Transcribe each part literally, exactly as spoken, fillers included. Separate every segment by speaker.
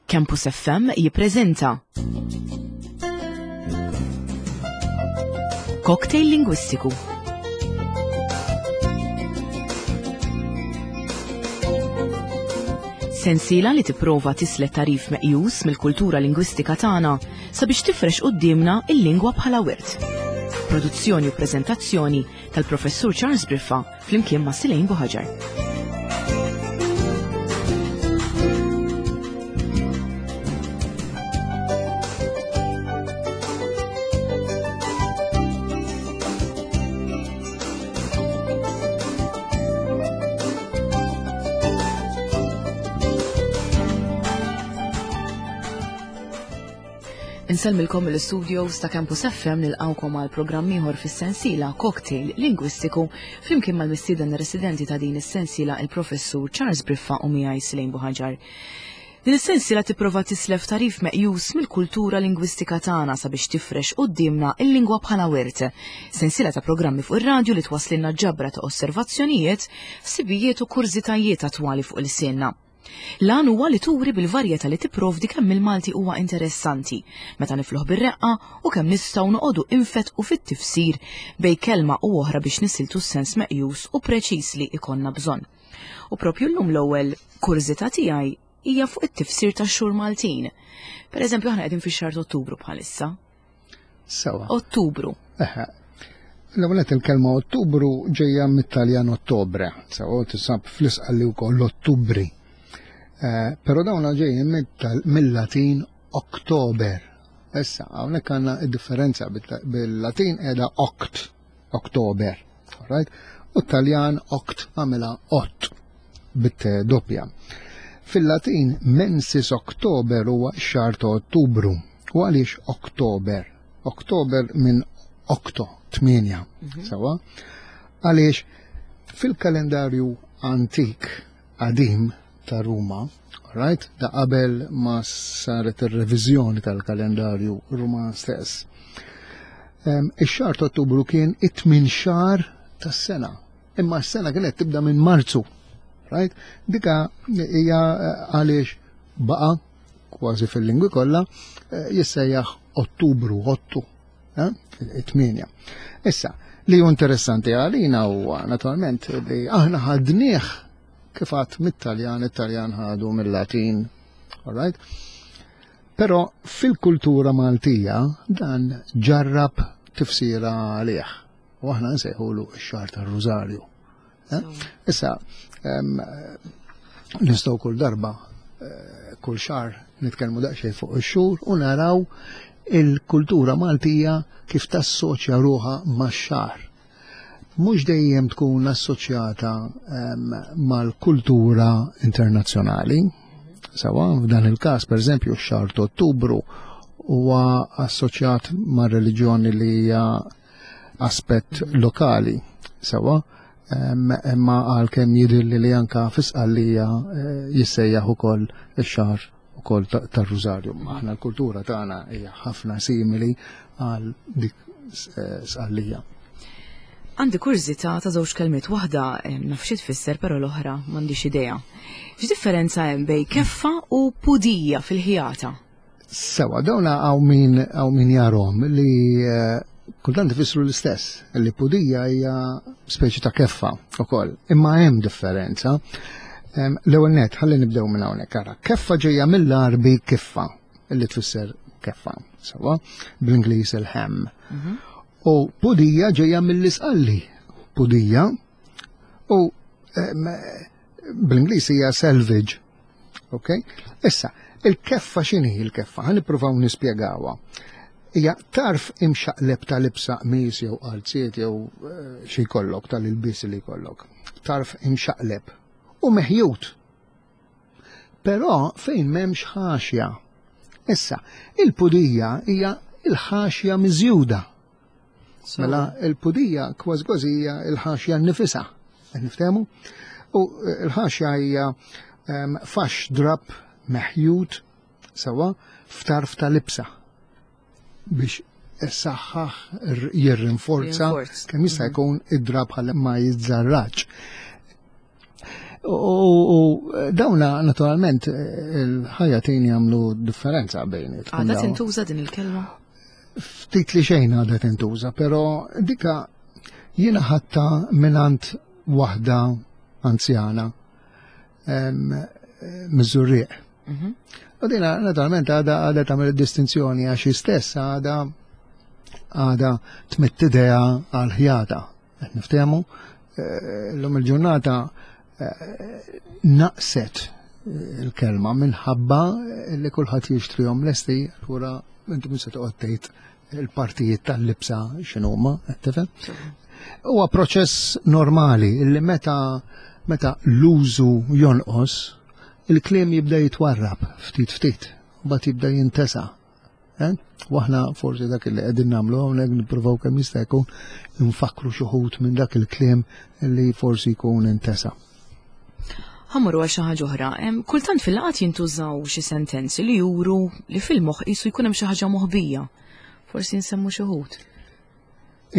Speaker 1: Campus F M jippreżenta Cocktail Lingwistiku. Sensiela li tipprova tislet tarif meqjus mill-kultura lingwistika tagħna sabiex tifrex quddiemna il-lingwa bħala wirt. Produzzjoni u preżentazzjoni tal-Professur Charles Briffa flimkien ma' Silejn Buħaġar. Insellmilkom mill-studios ta' Campus F M nilqawkom għal programm ieħor fis-sensiela Cocktail Lingwistiku flimkien mal-mistieden residenti ta' din is-sensiela il-Professur Charles Briffa u miegħi Silejn Buħaġar. Din is-sensiela tipprova tislef tarif meqjus mill-kultura lingwistika tagħna sabiex tifrex quddiemna il-lingwa bħala wirt. Sensiela ta' programmi fuq ir-radju li twasslilna ġabra ta' osservazzjonijiet, ħsibijiet u kurżitajiet attwali fuq il-sienna. L-għan huwa li turi bil-varjetà li tipprovdi kemm il-Malti huwa interessanti, meta nifluh bir-reqqa u kemm nistgħu noqogħdu infetqu fit-tifsir bejn kelma u oħra biex nisiltu s-sens meqjus u preċiż li ikonna bżonn. U propju llum l-ewwel kurżità tiegħi hija fuq it-tifsir tax-xhur Maltin. Per eżempju, aħna qegħdin fix-xahar ta' Ottubru bħalissa.
Speaker 2: Sewa.
Speaker 1: Ottubru.
Speaker 2: Eħe. L-ewwel nett il-kelma Ottubru ġejja mit-Taljan Ottobre, sewa tisab fl-Isqalli wkoll Ottubri. Eh, però dawn ġejjin mill-Latin Oktober. Issa, hawnhekk għandna d-differenza bil-Latin qiegħda oct, Oktober, right? U t-Taljan oct għamilha ot bit doppja. Fil-Latin mensis Oktober huwa x-xahar ta' Ottubru. U għaliex Oktober? Oktober minn octo, tmienja,
Speaker 1: Mhm.
Speaker 2: sewa? Għaliex fil-kalendarju antik qadim ta' Ruma, right? Da qabel ma saret ir-reviżjoni tal-kalendarju Ruman stess. Em, ix-xahar ta' Ottubru kien it-tmien xahar tas-sena. Imma s-sena kienet tibda minn Marzu, right? Dika hija, eh, għaliex baqa' kważi fil-lingwi kollha, eh, jissejjaħ Ottubru, Ottu, eh, it-tmienja. Issa, li hu interessanti għalina huwa naturalment li aħna ħadnieh kif għad mit-Taljan, it-Taljan ħadu mill-Latin, all right? Però fil-kultura Maltija dan ġarrab tifsira għalih. U aħna nsejħulu x-xahar tar-Rużarju. Eh? Issa, em, nistgħu kull darba, eh, kull xahar nitkellmu daqsxejn fuq ix-xhur u naraw il-kultura Maltija kif tassoċja ruħha max-xahar. Mhux dejjem tkun assoċjata, em, mal-kultura internazzjonali. Sawa, f'dan il-każ, per eżempju, x-xahar ta' Ottubru huwa assoċjat ma' reliġjoni li hija aspett lokali. Sawa, em, imma għalkemm jidhirli li anka fi Sqallija, eh, jissejjaħ ukoll ix-xahar ukoll ta-, tar-Rużarju. Aħna l-kultura tagħna hija ħafna simili għal dik, eh, Sqallija.
Speaker 1: Għandi kurżità ta' żewġ kelmiet, waħda, eh, naf xi tfisser, però l-oħra m'għandix idea. X'differenza hemm bejn keffa u pudija fil-ħjata?
Speaker 2: Sewa, dawn hawn min, hawn min jarhom li, eh, kultant ifissru l-istess, li pudija hija speċi ta' keffa ukoll, imma hemm differenza. Em, l-ewwel nett, ħalli nibdew minn hawnhekk, ara, keffa ġejja mill-Għarbi kiffa, li tfisser keffa, sewa, bl-Ingliż il-hem.
Speaker 1: Mhm.
Speaker 2: U pudija ġejja mill-Isqalli, pudija, u, em, bl-Ingliż hija selvage, ok? Issa, il-keffa x'inhi il-keffa? Ħa nippruvaw nispjegawha. Hija tarf imxaqleb ta' libsa qmis jew qalziet jew, eh, xi jkollok tal-ilbies li jkollok. Tarf imxaqleb u meħjut. Però fejn m'hemmx ħaxja. Issa, il-pudija hija il-ħaxja miżjuda.
Speaker 1: So.
Speaker 2: Mela il-pudija kważi kważi hija il-ħaxja nnifisha. Qed niftehmu? U l-ħaxja hija, ehm, fax drab meħjut sewa f'tarf ta' libsa biex issaħħaħ, jirrinforza
Speaker 1: Rinforz.
Speaker 2: kemm jista' jkun id-drab ħalli ma jiżżarraġ. U dawna naturalment il-ħajatin jagħmlu differenza bejniet.
Speaker 1: Għadha tintuża din il-kelma?
Speaker 2: Ftit li xejn għadha tintuża, però dika jiena ħadtha mingħand waħda anzjana miż-Żurrieq. U dina naturalment għadha għadha tagħmel distinzjoni għax stess għadha għadha tmidd idejha għal-ħjata. Qed niftehmu l-lum il-ġurnata naqset il-kelma minħabba li kulħadd jixtrihom lesti, allura inti mhux se toqgħod tgħid il-partijiet tal-libsa x'inhuma, qed tifhem? Huwa proċess normali li meta meta l-użu jonqos, il-kliem jibda jitwarrab ftit ftit, u mbagħad jibda jintesa. U aħna forsi dak li qegħdin nagħmlu hawnhekk nippruvaw kemm jista' jkun nfakru xi wħud minn dak il-kliem li forsi jkun intesa.
Speaker 1: Ħa mmorru għal xi ħaġa oħra. Kultant fil-laqgħat jintużaw xi sentenzi li juru li fil-moħħ qisu jkun hemm xi ħaġa moħbija. Forsi nsemmu xi wħud.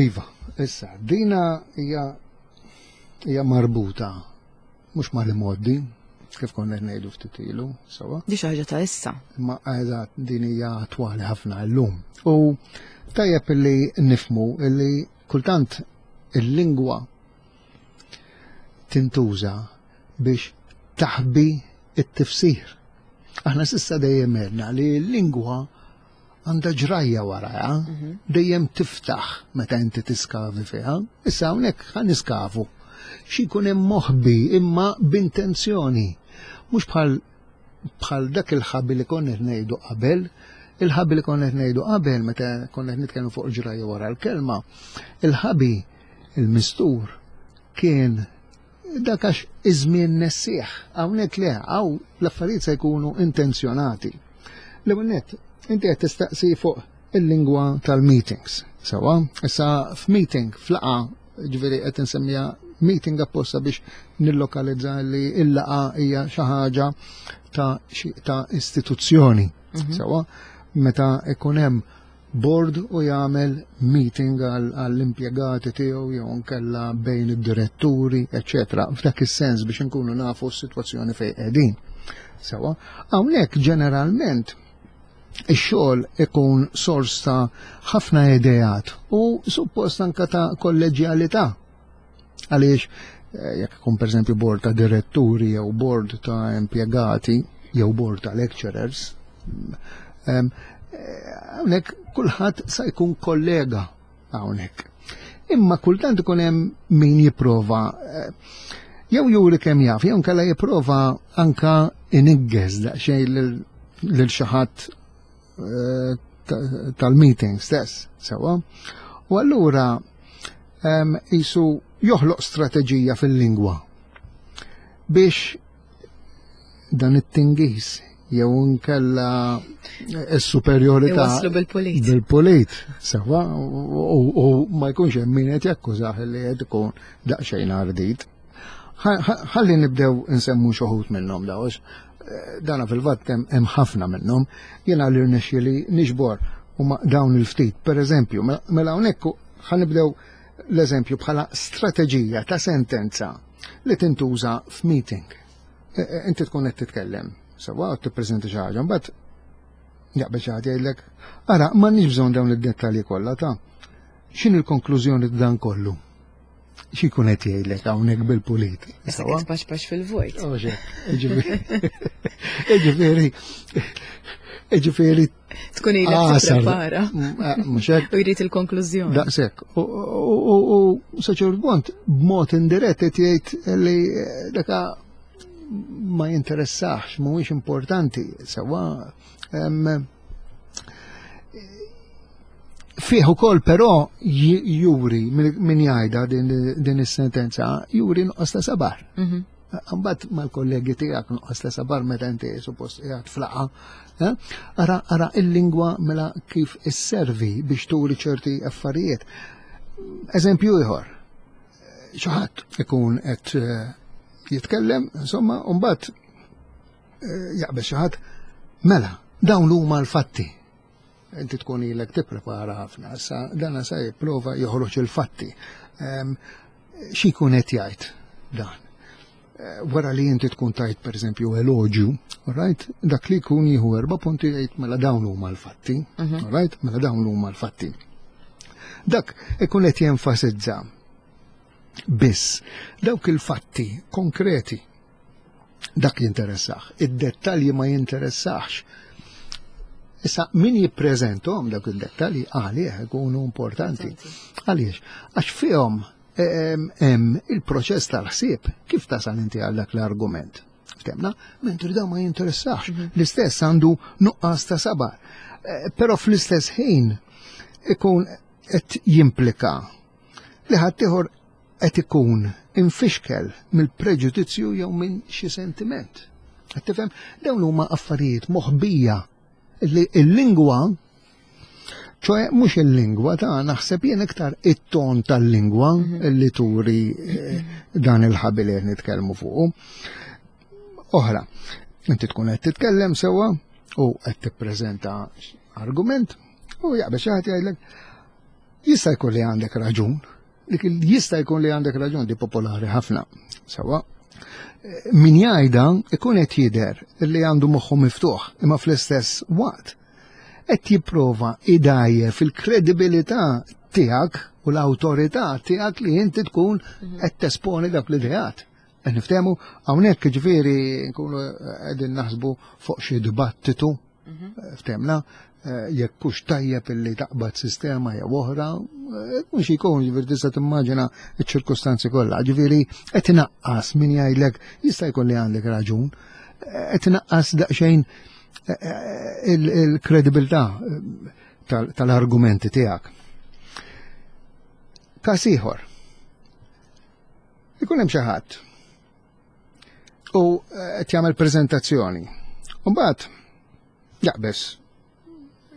Speaker 2: Iva, issa, dina hija hija marbuta mhux mal-imgħoddi, kif konna qed ngħidu ftit ilu, sewwa.
Speaker 1: Di xi ħaġa ta' issa.
Speaker 2: Imma eżatt, din hija attwali ħafna llum. U tajjeb illi nifhmu illi kultant il-lingwa tintuża biex taħbi it-tifsir. Aħna s'issa dejjem għedna li l-lingwa għandha ġrajja warajha, dejjem tiftaħ meta inti tiskavi fiha. Issa hawnhekk ħa niskavu. Xi jkun hemm moħbi imma b'intenzjoni. Mhux bħal bħal dak il-ħabi li konna qed ngħidu qabel, il-ħabi li konna qed ngħidu qabel meta konna qed nitkellmu fuq ġrajja wara l-kelma, il-ħabi il-mistur kien dak għax iż-żmien nessieħ. Hawnhekk le, hawn l-affarijiet se jkunu intenzjonati. L-ewwel nett, inti qed tistaqsi fuq il-lingwa tal-meetings. Sewwa, issa f'meeting, f'laqgħa, ġifieri qed insemmija meeting apposta biex nillokalizza li il-laqgħa hija xi ħaġa ta' ta' istituzzjoni. Sewwa, meta ikun hemm board u jagħmel meeting għall-impjegati tiegħu jew nkella bejn id-diretturi, eċċetera. F'dak is-sens biex inkunu nafu s-sitwazzjoni fejn qegħdin. Sewwa, hawnhekk ġeneralment ix-xogħol ikun sors ta' ħafna ideat u suppost anka ta' kolleġjalità. Għaliex jekk ikun pereżempju board ta' diretturi jew board ta' impjegati jew board ta' lecturers, hawnhekk kulħadd sa jkun kollega hawnhekk. Imma kultant ikun hemm min jipprova jew juri kemm jaf, jew nkella jipprova anka iniggeż daqsxejn lil xi ħadd tal-meeting stess, sewwa. U allura jisu joħloq strateġija fil-lingwa biex dan it-tingiż jew nkella s-superjorità
Speaker 1: Iwasslu bil-pulit.
Speaker 2: Bil-pulit, sewwa, u ma jkunx hemm min qed jakkużah li qed ikun daqsxejn ardit. Ħalli nibdew nsemmu xi wħud minnhom daw, dana fil-fatt hemm ħafna minnhom, jiena li rnexxieli niġbor huma dawn il-ftit. Per eżempju, mela hawnhekk ħa nibdew l-eżempju bħala strateġija ta' sentenza li tintuża f'meeting. Inti tkun qed titkellem, sewwa tippreżenta xi ħaġa, mbagħad jaqbel xi ħadd jgħidlek, ara m'għandniex bżonn dawn id-dettalji kollha ta' x'inhi l-konklużjoni ta' dan kollu? Xi jkun qed jgħidlek hawnhekk bil-pulit?
Speaker 1: Issa qed tpaxpax fil-vojt.
Speaker 2: Ġifieri, ġifieri
Speaker 1: Tkun ilek tipprepara.
Speaker 2: Mhux hekk.
Speaker 1: U jrid il-konklużjoni.
Speaker 2: Daqshekk. U sa ċertu punt b'mod indirett qed jgħid li daka ma jinteressax, mhuwiex importanti, sewwa. Fih ukoll però juri min jgħidha din is-sentenza, juri nuqqas ta' sabar. Mbagħad mal-kollegi tiegħek nuqqas ta' sabar meta inti suppost qiegħed f'laqgħa. Ara, ara il-lingwa mela kif isservi biex turi ċerti affarijiet. Eżempju ieħor, xi ħadd ikun qed jitkellem, insomma, u mbagħad jaqbel xi ħadd, mela, dawn huma l-fatti. Inti tkun ilek tipprepara ħafna, issa dan sa jipprova joħroġ il-fatti. Xi jkun qed jgħid dan? Eh, wara li inti tkun tajt per eżempju eloġju, right? Dak li jkun jieħu erba' punti jgħid mela dawn huma l-fatti, mhm. right? Mela dawn huma l-fatti. Dak ikun qed jenfasizza biss dawk il-fatti konkreti dak jinteressax, id-dettalji ma jinteressax. Issa min jippreżentom dawk id-dettalji għalih ikunu importanti. Għaliex? Għax fihom hemm il-proċess tal-ħsieb kif tasal inti għal dak l-argument. Ftemna, mentri da ma jinteressax. Mhm. L-istess għandu nuqqas ta' sabar. Eh, però fl-istess ħin ikun qed jimplika li ħaddieħor qed ikun infixkel mill-preġudizzju jew minn xi sentiment. Qed tifhem? Dawn huma affarijiet moħbija li l-lingwa ċoħe mhux il-lingwa ta' naħseb jien iktar it-ton tal-lingwa mhm. li turi eh, dan il-ħabil li nitkellmu fuqu. Oħra, inti tkun qed titkellem sewwa u qed tippreżenta argument u jaqbel xi ħadd jgħidlek jista' jkun li għandek raġun, dik jista' jkun li għandek raġun di popolari ħafna. Sewwa, min jgħidha ikun qed jidher li għandu moħħu miftuħ, imma fl-istess waqt qed jipprova idajje fil-kredibilità tiegħek u l-awtorità tiegħek li inti tkun mhm. qed tesponi dak l-ideat. Qed niftehmu hawnhekk ġifieri nkunu qegħdin naħsbu fuq xi dibattitu mhm. ftemna eh, jekk hux tajjeb illi taqbad sistema jew oħra, eh, mhux ikun ġifieri tista' timmaġina ċ-ċirkustanzi kollha. Ġifieri qed inaqqas min jgħidlek jista' jkun li għandek raġun, eh, qed inaqqas daqsxejn il-kredibilità tal-argumenti tiegħek. Każ ieħor. Ikun hemm xi ħadd u qed jagħmel preżentazzjoni. U mbagħad jaqbeż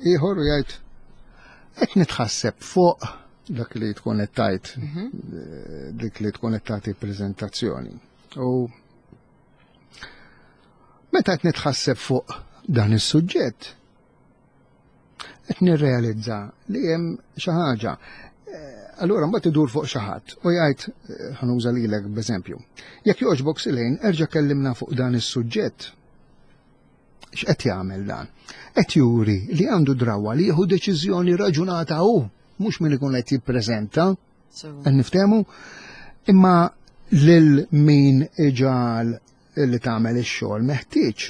Speaker 2: ieħor u jgħid qed nitħasseb fuq dak li tkun qed tajt mhm. dik li tkun qed tagħti preżentazzjoni. U meta qed nitħasseb fuq dan is-suġġett, qed nirrealizza li hemm xi ħaġa. Eh, allura mbagħad idur fuq xi ħadd u jgħid eh, ħanuża lilek b'eżempju. Jekk jogħġbok Silejn, erġa' kellimna fuq dan is-suġġett. X'qed jagħmel dan? Qed juri li għandu drawa li jieħu deċiżjoni raġunata hu, mhux min ikun qed jippreżenta. Qed niftehmu? Imma lil min iġal li tagħmel ix-xogħol meħtieġ.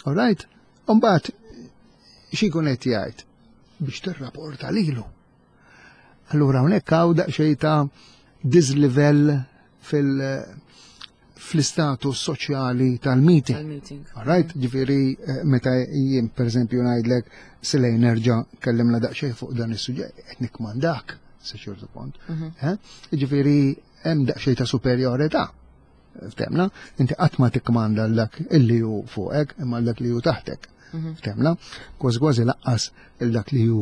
Speaker 2: All right? Umbagħad xi jkun qed jgħid biex tirrapporta lilu. Allura hawnhekk hawn daqsxejn ta' diżlivell fil fl-istatus soċjali tal-meeting.
Speaker 1: Tal-meeting.
Speaker 2: All right? Ġifieri eh, meta jien pereżempju ngħidlek Silej nerġa' kellimna daqsxejn fuq dan is-suġġett qed nikmandak sa ċertu punt.
Speaker 1: Mhm.
Speaker 2: Eh? Ġifieri hemm daqsxejn ta' superjorità. Ftemna, inti qatt ma tikkmanda dak illi hu fuqek imma dak li hu taħtek.
Speaker 1: Mhm.
Speaker 2: Ftemna, kważi kważi laqqas il dak li hu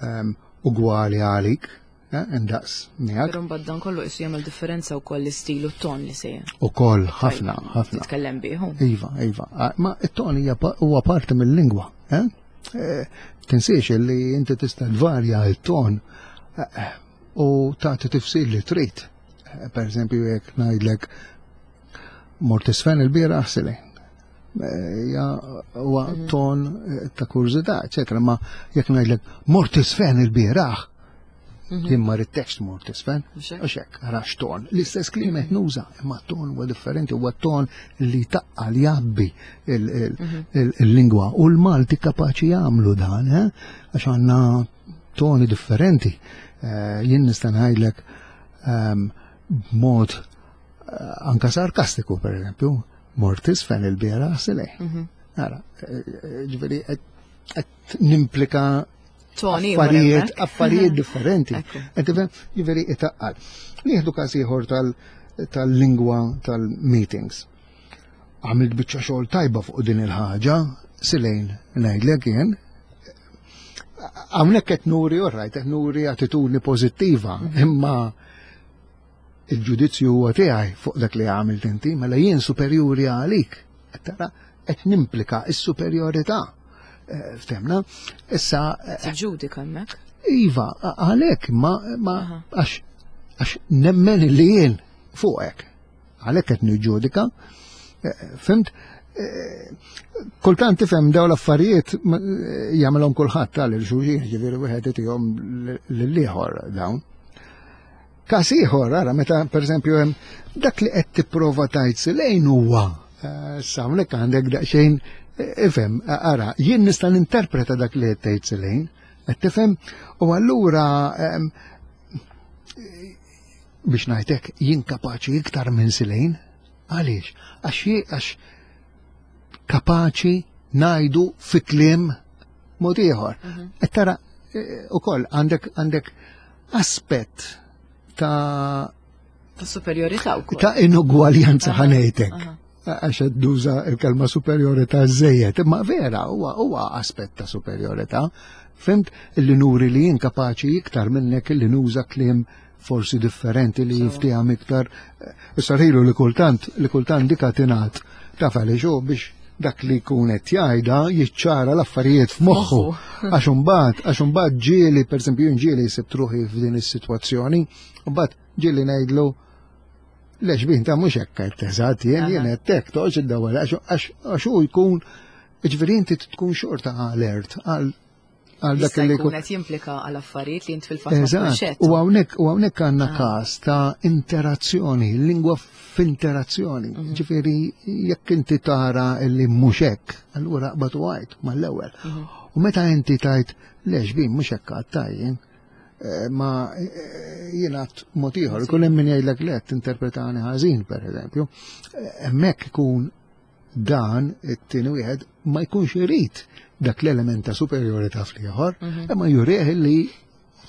Speaker 2: ehm, ugwali għalik, eh, indaqs miegħek.
Speaker 1: Però mbagħad dan kollu qisu jagħmel differenza wkoll l-istil u t-ton li se
Speaker 2: Ukoll ħafna, ħafna.
Speaker 1: titkellem bih.
Speaker 2: Iva, iva. Ah, Ma it-ton hija pa- huwa parti mill-lingwa. Eh? Eh, Tinsiex li inti tista' tvarja il-ton eh, u tagħti tifsir li trid. Eh, Per eżempju, jekk ngħidlek mort isfen il-bieraħ sili. Ja huwa ton eh, ta' kurżità, eċetera, ma jekk ngħidlek mort isfen il-bieraħ, jien ma ridtekx mort isfen,
Speaker 1: Mhux hekk?
Speaker 2: u xek, għax ton. L-istess kliem qed nuża, imma ton huwa differenti, huwa ton li taqqal jabbi il- il- il- il-lingwa. U l-Malti kapaċi jagħmlu dan, eh? għax għandna toni differenti. Eh, Jien nista' ngħidlek ehm, b'mod eh, anka sarkastiku, per eżempju, mort isfen il-bieraħ silej. Ara, eh, eh, ġifieri qed qed nimplika
Speaker 1: Toni ieħor
Speaker 2: affarijiet,
Speaker 1: hemmhekk.
Speaker 2: affarijiet differenti.
Speaker 1: Ekku.
Speaker 2: Qed tifhem? Ġifieri itaqqal. Nieħdu każ ieħor tal- tal-lingwa tal-meetings. Għamilt biċċa xogħol tajba fuq din il-ħaġa, Silejn ngħidlek jien. Hawnhekk qed nuri, all right, qed nuri attitudni pożittiva, imma il-ġudizzju huwa tiegħi fuq dak li għamilt inti, mela jien superjuri għalik. Qed tara qed nimplika s-superjorità. Eh, Ftemna? Issa eh,
Speaker 1: Tiġġudika hemmhekk.
Speaker 2: Iva, għalek, ma, ma,
Speaker 1: Aha.
Speaker 2: għax, għax nemmen li jien fuqek. Għalhekk qed niġġudika. Eh, fimt? Eh, kultant tifhem dawn l-affarijiet jagħmelhom kulħadd tal xulxin, ġifieri wieħed itihom lill-ieħor dawn. Każ ieħor, ara, meta pereżempju hemm dak li qed tipprova tgħid lejn huwa, eh, issa hawnhekk għandek daqsxejn ifhem, ara, jien nista' ninterpreta dak li qed tgħid lejn, qed tifhem, u allura biex ngħidlek jien kapaċi iktar minn Silejn, għaliex? Għax għax kapaċi ngħidu fi kliem mod ieħor. Mhm. Qed tara eh, ukoll għandek għandek aspett ta'
Speaker 1: ta' superjorità wkoll.
Speaker 2: Ta' inugwaljanza ħa ngħidlek. Għax nuża il-kelma superjorità żejjed, imma vera huwa huwa aspett ta' superjorità. Fimt li nuri li jien kapaċi iktar minnek li nuża kliem forsi differenti li jiftiham iktar. Issa li kultant li kultant dika tingħad taf għaliex hu biex dak li jkun qed jgħidha jiċċara l-affarijiet f'moħħu. Għax imbagħad, għax imbagħad ġieli, pereżempju jien ġieli sibt ruħi f'din is-sitwazzjoni, mbagħad ġieli ngħidlu lex bin ta' mhux hekk qed eżatt jien jien qed hekk toqgħodx iddawwar għax hu jkun ġifieri inti tkun xorta alert għal
Speaker 1: għal dak li jkun qed jimplika għal affarijiet li int fil-fatt ma tkunx
Speaker 2: U hawnhekk u hawnhekk għandna ah. każ ta' interazzjoni, lingwa f'interazzjoni. Mhm. Ġifieri jekk inti tara li mhux hekk, allura qbad u għid mal-ewwel. Mhm. U meta inti tajt lex bin mhux hekk għattajjin, eh, ma eh, jiena mod ieħor, ikun hemm min jgħidlek le tinterpretani ħażin pereżempju, eh, hemmhekk ikun dan it-tieni wieħed ma jkunx irid dak l-element ta' superjorità fl-ieħor, mhm. imma jurih li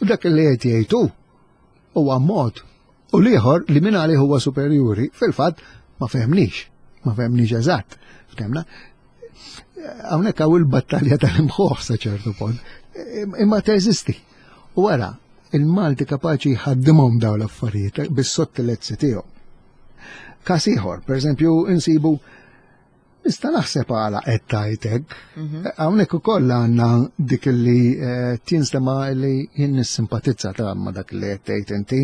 Speaker 2: dak li qed jgħidu huwa mod u l-ieħor li min għalih huwa superjuri fil-fatt ma fehmnix, ma fehmnix eżatt. Ftemna? Hawnhekk hawn il-battalja tal-imħuħ sa ċertu punt, imma teżisti. U wara, il-Malti kapaċi jħaddimhom dawn l-affarijiet bis-sottilezzi tiegħu. Każ ieħor, pereżempju, insibu nista' naħseb għala qed tajtek. Mhm. Hawnhekk ukoll għandna dik li eh, tinstema li jien nissimpatizza ta' ma dak li qed tgħid inti,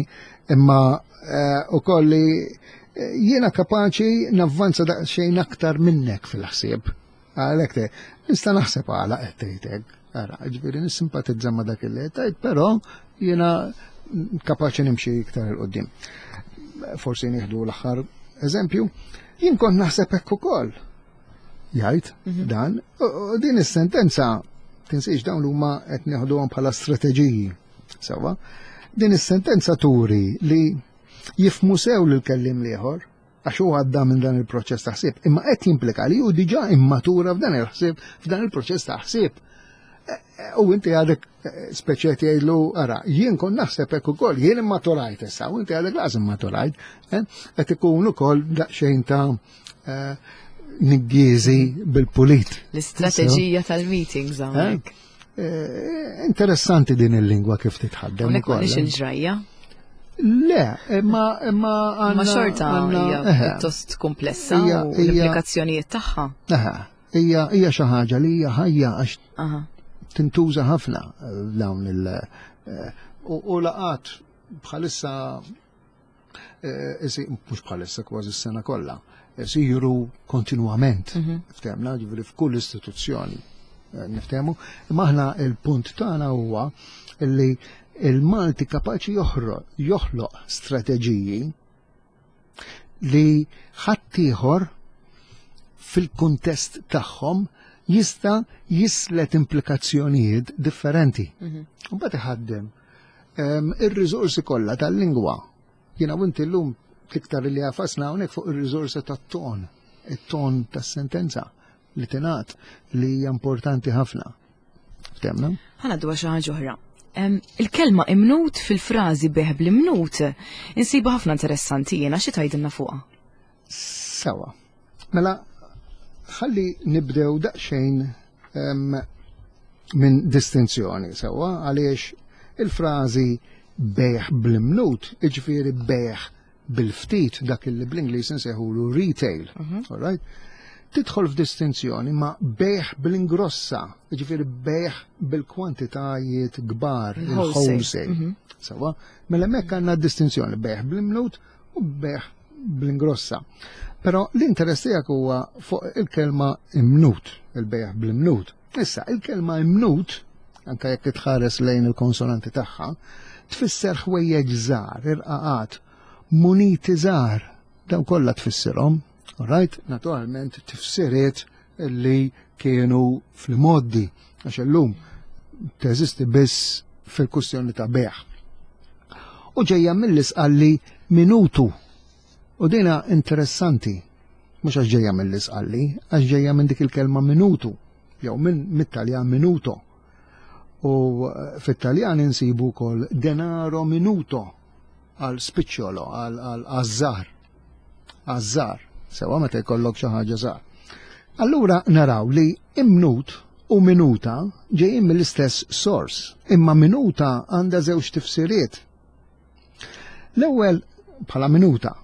Speaker 2: imma eh, ukoll li eh, jiena kapaċi navvanza daqsxejn aktar minnek fil-ħsieb. Għalhekk te, nista' naħseb għala qed tgħidek. Ara, ġifieri nissimpatizza ma dak li qed tgħid, però jiena kapaċi nimxi iktar 'il quddiem. Forsi nieħdu l-aħħar eżempju, jien kont naħseb hekk ukoll. Jgħid mhm. dan, u din is-sentenza tinsiex dawn huma qed nieħduhom bħala strateġiji. Sewwa, din is-sentenza turi li jifhmu sew lil kellim l-ieħor għax hu għadda minn dan il-proċess ta' ħsieb, imma qed jimplika li hu diġà immatura f'dan il-ħsieb, f'dan il-proċess ta' ħsieb. E, e, u inti għadek e, speċi jgħidlu, ara, jien kon naħseb hekk ukoll, jien immaturajt issa, u inti għadek lanqas immaturajt, qed ikun ukoll daqsxejn ta' niggiżi bil-pulit.
Speaker 1: L-istrateġija tal-meetings hawnhekk.
Speaker 2: Interessanti din il-lingwa kif titħaddem.
Speaker 1: Hawnhekk m'għandniex il-ġrajja.
Speaker 2: Le, imma imma
Speaker 1: Ma xorta hija pjuttost komplessa u l-implikazzjonijiet tagħha.
Speaker 2: Aha, hija hija xi ħaġa li hija ħajja għax tintuża ħafna dawn il- u laqat bħalissa mhux bħalissa kważi s-sena kollha, isiru kontinwament, mhm. ftemna, ġifieri f'kull istituzzjoni niftehmu, imma aħna il-punt tagħna huwa li il-Malti kapaċi joħloq strateġiji li ħaddieħor fil-kuntest tagħhom jista' jislet implikazzjonijiet differenti. Mhm. U mbagħad iħaddem ir-riżorsi kollha tal-lingwa. Jiena u inti llum iktar li għafasna hawnhekk fuq ir-riżorsi tat-ton, it-ton tas-sentenza li tingħad li hija importanti ħafna. Ftemna?
Speaker 1: Ħa ngħaddu xi ħaġa oħra. Il-kelma imnut fil-frażi bejgħ bl-imnut insibu ħafna interessanti jiena xi tgħidilna fuqha.
Speaker 2: Sewwa. Mela ħalli nibdew daqsxejn minn distinzjoni sewwa għaliex il-frażi bejgħ bl-imnut, iġifieri bejgħ bil-ftit dak li bl-Ingliż nsejħulu retail, mhm. all right? Tidħol f'distinzjoni ma' bejgħ bl-ingrossa, ġifieri bejgħ bil-kwantitajiet kbar, il-wholesale. Mhm. Sewwa, mela hemmhekk għandna distinzjoni bejgħ bl-imnut u bejgħ bl-ingrossa. Però l-interess tiegħek huwa fuq il-kelma imnut, il-bejgħ bl-imnut. Issa, il-kelma imnut, anke jekk tħares lejn il-konsonanti tagħha, tfisser ħwejjeġ żgħar, irqaqat, muniti żgħar, dawn kollha tfissirhom, right? Naturalment tifsiriet li kienu fl-moddi, għax illum teżisti biss fil-kustjoni ta' bejgħ. U ġejja mill-Isqalli minutu. U dina interessanti, mhux għax ġejja mill-Isqalli, għax ġejja minn dik il-kelma minutu, jew minn mit-Taljan minuto. U eh, fit-Taljan insibu wkoll denaro minuto għal spiċċolo, għal għażżar. Għażżar, sewa meta jkollok xi ħaġa żgħar. Allura naraw li imnut u minuta ġejjin mill-istess sors, imma minuta għandha żewġ tifsiriet. L-ewwel bħala minuta.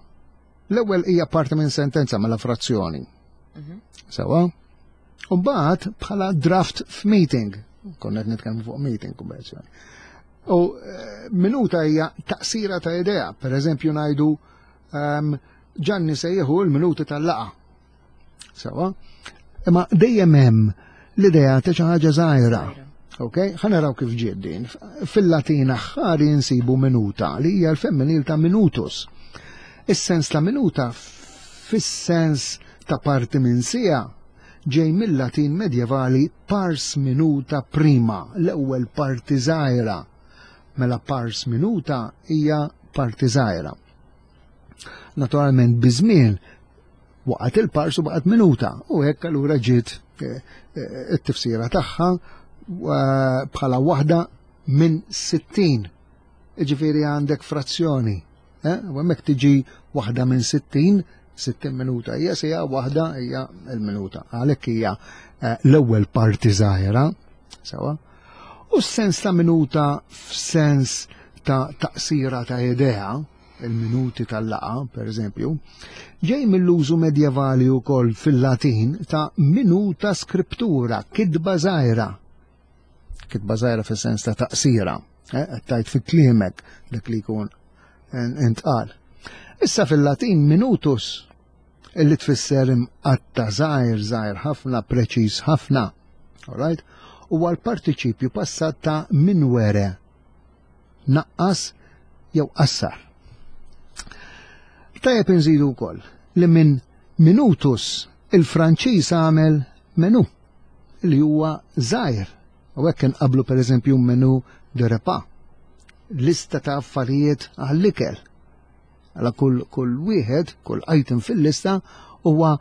Speaker 2: L-ewwel hija parti minn sentenza mela frazzjoni.
Speaker 1: Mhm.
Speaker 2: Sewa? U mbagħad bħala draft f'meeting. Konna qed nitkellmu fuq meeting kummerċjali. U eh, minuta hija taqsira ta' idea. Per eżempju ngħidu ehm, Ġanni se jieħu l-minuti tal-laqgħa. Sewa? Imma dejjem hemm l-idea ta' xi ħaġa żgħira. Ok, ħa naraw kif ġiet din. Fil-Latin aħħari nsibu minuta li hija l-femminil ta' minutus. Is-sens ta' minuta fis-sens ta' parti minn siegħa ġej mill-Latin medjevali pars minuta prima, l-ewwel parti żgħira. Mela pars minuta hija parti żgħira. Naturalment biż-żmien waqgħet il-pars u baqgħet minuta u hekk allura ġiet eh, eh, it-tifsira tagħha eh, bħala waħda minn sittin. Iġifieri għandek frazzjoni. Eh? U hemmhekk tiġi waħda minn sittin, sittin minuta hija sija waħda hija l-minuta. Għalhekk hija eh, l-ewwel parti żgħira, sewa. U s-sens ta' minuta f'sens ta' taqsira ta' idea, il-minuti tal-laqgħa, per eżempju, ġej mill-użu medjevali wkoll fil-Latin ta' minuta scriptura, kitba żgħira. Kitba żgħira fis-sens ta' taqsira, eh, qed tajt fi kliemek dak li jkun intqal. Issa fil-Latin minutus, illi tfisser imqatta żgħir, żgħir ħafna, preċiż ħafna. All right? Huwa l-partiċipju passat ta' minuere, naqqas jew qassar. Tajjeb inżidu wkoll li minn minutus il-Franċiż għamel menu li huwa żgħir. U hekk inqablu pereżempju menu de repas, lista ta' affarijiet għall-ikel. Għala kull, kull wieħed, kull item fil-lista huwa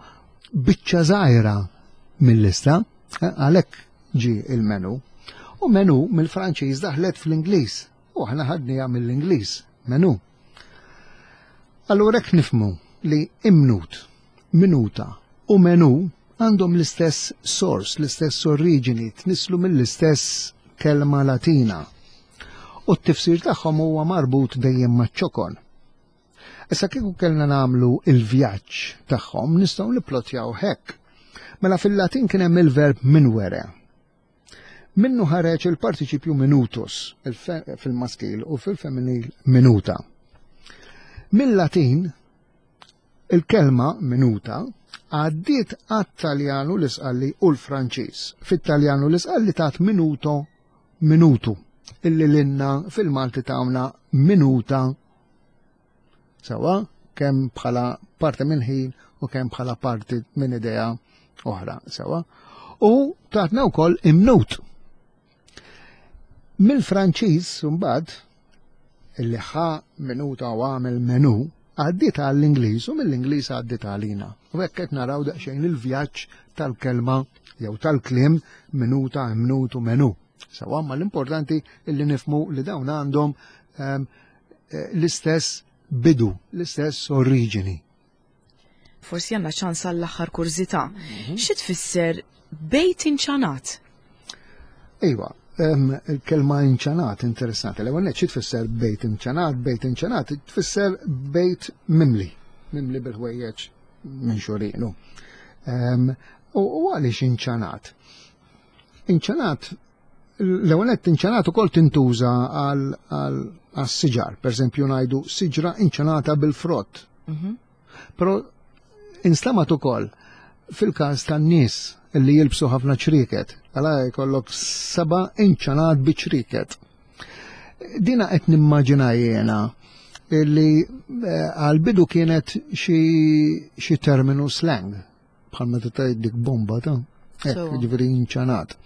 Speaker 2: biċċa żgħira mill-lista, eh, għalhekk ġi il-menu. U menu mill-Franċiż daħlet fl-Ingliż. U aħna ħadniha mill-Ingliż, menu. Allura hekk nifhmu li imnut, minuta u menu għandhom l-istess source, l-istess oriġini, tnislu mill-istess kelma Latina. U t-tifsir tagħhom huwa marbut dejjem maċ-ċokon. Issa kieku kellna nagħmlu il-vjaġġ tagħhom nistgħu nipplotjaw hekk. Mela fil-Latin kien hemm il-verb minuere. Minnu ħareġ il-partiċipju minutus fil-maskil u fil-femminil minuta. Mill-Latin il-kelma minuta għaddiet għat-Taljan u l-Isqalli u l-Franċiż. Fit-Taljan u l-Isqalli tat minuto minutu, illi l-inna fil-Malti tawna minuta sewa kemm bħala parti minn ħin u kemm bħala parti minn idea oħra sewa. U tatna wkoll imnut. Mill-Franċiż mbagħad illi ħa minuta u għamel menu għaddiet għall-Ingliż u mill-Ingliż għaddiet għalina. U hekk qed naraw daqsxejn il-vjaġġ tal-kelma jew tal-kliem minuta, imnut u menu. Sewa, ma l-importanti illi nifhmu li dawn għandhom ehm, eh, l-istess bidu, l-istess oriġini.
Speaker 1: Forsi għandna ċans għall-aħħar kurżità. Xi tfisser bejt inċanat?
Speaker 2: Iva, ehm, il-kelma inċanat interessanti. L-ewwel nett xi tfisser bejt inċanat? Bejt inċanat tfisser bejt mimli, mimli bil-ħwejjeġ minn xorinu. Ehm, U u għaliex inċanat? Inċanat, l-ewwel nett inċanat ukoll tintuża għal għal għas-siġar. Per eżempju ngħidu siġra inċanata bil-frott.
Speaker 1: Mhm.
Speaker 2: Però instemgħet ukoll fil-każ tan-nies li jilbsu ħafna ċrieket. Għala jkollok seba' inċanat bi ċrieket. Dina qed nimmaġina jiena li eh, għal-bidu kienet xi terminu slang, bħal meta tgħid dik bomba ta' hekk, ġifieri inċanat.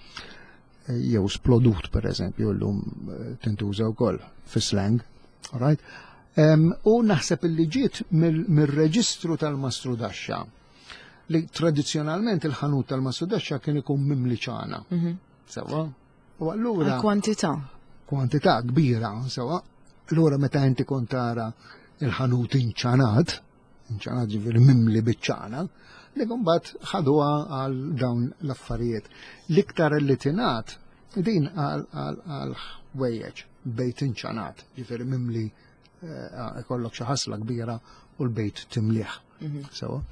Speaker 2: Eh, jew splodut, per eżempju, llum eh, tintuża wkoll fi slang. Right? U naħseb illi ġiet mill-reġistru tal-mastrudaxxa li tradizjonalment il-ħanut tal-mastrudaxxa kien ikun mimli ċana. Mhm. Sewa?
Speaker 1: U allura. Kwantità.
Speaker 2: Kwantità kbira, sewa. Allura meta inti kont tara il-ħanut inċanat, inċanat ġifieri mimli biċ-ċana, li mbagħad ħaduha għal dawn l-affarijiet. L-iktar li tingħad din għal ħwejjeġ, bejt inċanat, ġifieri mimli, eh, ikollok xi ħasla kbira u l-bejt timliħ. Mhm. Sewa.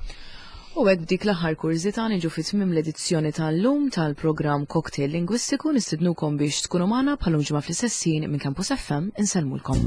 Speaker 1: U hekk dik l-aħħar kurżità niġu fi tmiem l-edizzjoni tal-lum tal-programm Cocktail Lingwistiku. Nistidnukom biex tkunu magħna bħal ġimgħa fl-istess ħin. Minn Campus F M insellmulkom.